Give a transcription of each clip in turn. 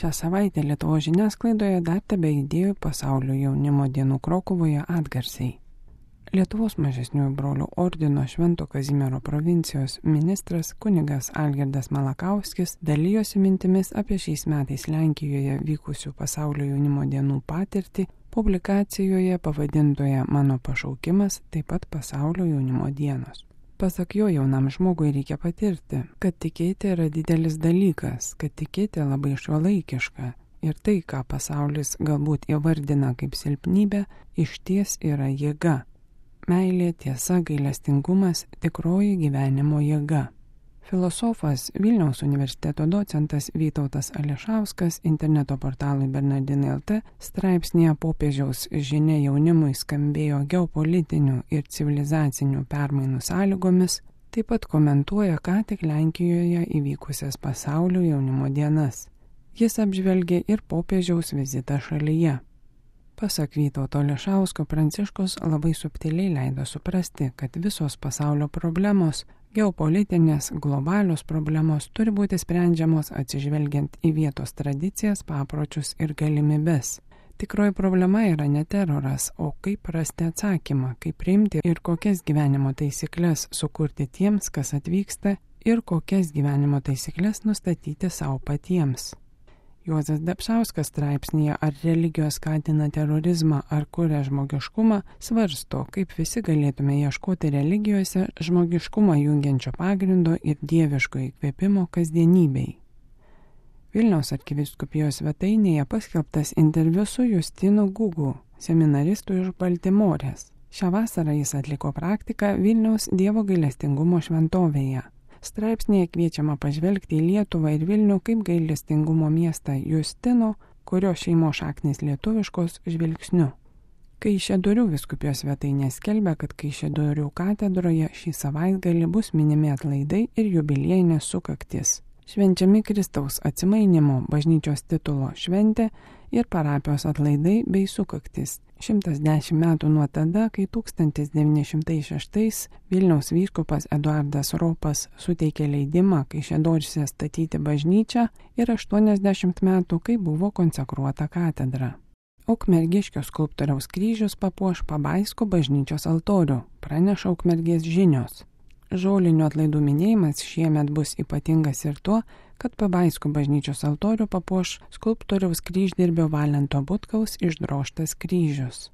Šią savaitę Lietuvos žiniasklaidoje dar tebeaidėjo Pasaulio jaunimo dienų Krokuvoje atgarsiai. Lietuvos mažesniųjų brolių ordino Švento Kazimiero provincijos ministras kunigas Algirdas Malakauskis dalijosi mintimis apie šiais metais Lenkijoje vykusių Pasaulio jaunimo dienų patirtį publikacijoje pavadintoje Mano pašaukimas, taip pat Pasaulio jaunimo dienos. Pasak jo, jaunam žmogui reikia patirti, kad tikėti yra didelis dalykas, kad tikėti labai šiuolaikiška ir tai, ką pasaulis galbūt įvardina kaip silpnybę, išties yra jėga. Meilė, tiesa, gailestingumas – tikroji gyvenimo jėga. Filosofas Vilniaus universiteto docentas Vytautas Ališauskas interneto portalui Bernardinai LT straipsnėje Popiežiaus žinia jaunimui skambėjo geopolitinių ir civilizacinių permainų sąlygomis, taip pat komentuoja ką tik Lenkijoje įvykusias Pasaulio jaunimo dienas. Jis apžvelgė ir popiežiaus vizitą šalyje. Pasak Vytauto Ališausko, Pranciškus labai subtiliai leido suprasti, kad visos pasaulio problemos, geopolitinės, globalios problemos turi būti sprendžiamos atsižvelgiant į vietos tradicijas, papročius ir galimybes. Tikroji problema yra ne teroras, o kaip rasti atsakymą, kaip priimti ir kokias gyvenimo taisyklės sukurti tiems, kas atvyksta, ir kokias gyvenimo taisyklės nustatyti savo patiems. Juozas Dapšauskas straipsnėje Ar religijos skatina terorizmą ar kuria žmogiškumą svarsto, kaip visi galėtume ieškoti religijose žmogiškumą jungiančio pagrindo ir dieviško įkvėpimo kasdienybei. Vilniaus arkivyskupijos svetainėje paskelbtas interviu su Justinu Gugu, seminaristu iš Baltimorės. Šią vasarą jis atliko praktiką Vilniaus Dievo gailestingumo šventovėje. Straipsnėje kviečiama pažvelgti į Lietuvą ir Vilnių kaip gailestingumo miestą Justino, kurio šeimos šaknys lietuviškos, žvilgsniu. Kaišiadorių vyskupijos svetainė skelbia, kad Kaišiadorių katedroje šį savaitgalį bus minimi atlaidai ir jubiliejinės sukaktis. Švenčiami Kristaus atsimainimo bažnyčios titulo šventė ir parapijos atlaidai bei sukaktis. 110 metų nuo tada, kai 1906 Vilniaus vyskupas Eduardas Ropas suteikė leidimą Kaišiadoryse statyti bažnyčią ir 80 metų, kai buvo konsekruota katedra. Ukmergiškio skulptoriaus kryžius papuoš Pabaisko bažnyčios altorių, praneša Ukmergės žinios. Žolinių atlaidų minėjimas šiemet bus ypatingas ir tuo, kad Pabaisko bažnyčios altorių papuoš skulptoriaus kryždirbio Valento Butkaus išdrožtas kryžius.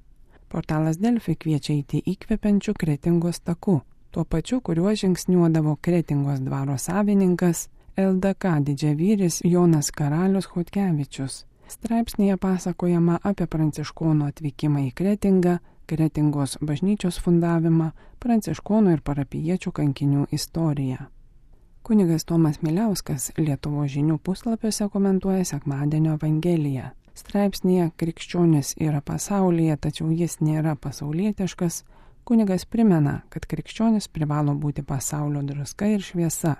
Portalas Delfi kviečia eiti įkvepiančių Kretingos taku, tuo pačiu, kuriuo žingsniuodavo Kretingos dvaro savininkas LDK didžiavyris Jonas Karalius Chodkevičius. Straipsnėje pasakojama apie pranciškonų atvykimą į Kretingą, Kretingos bažnyčios fundavimą, pranciškonų ir parapijiečių kankinių istoriją. Kunigas Tomas Miliauskas Lietuvos žinių puslapiuose komentuoja sekmadienio Evangeliją. Straipsnėje Krikščionis yra pasaulyje, tačiau jis nėra pasaulietiškas. Kunigas primena, kad krikščionis privalo būti pasaulio druska ir šviesa.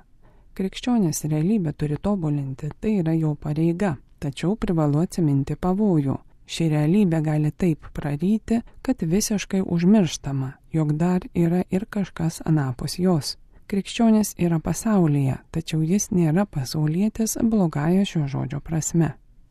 Krikščionis realybę turi tobulinti, tai yra jo pareiga, tačiau privalu atsiminti pavojų. Ši realybė gali taip praryti, kad visiškai užmirštama, jog dar yra ir kažkas anapus jos. Krikščionis yra pasaulyje, tačiau jis nėra pasaulietis blogąja šio žodžio prasme.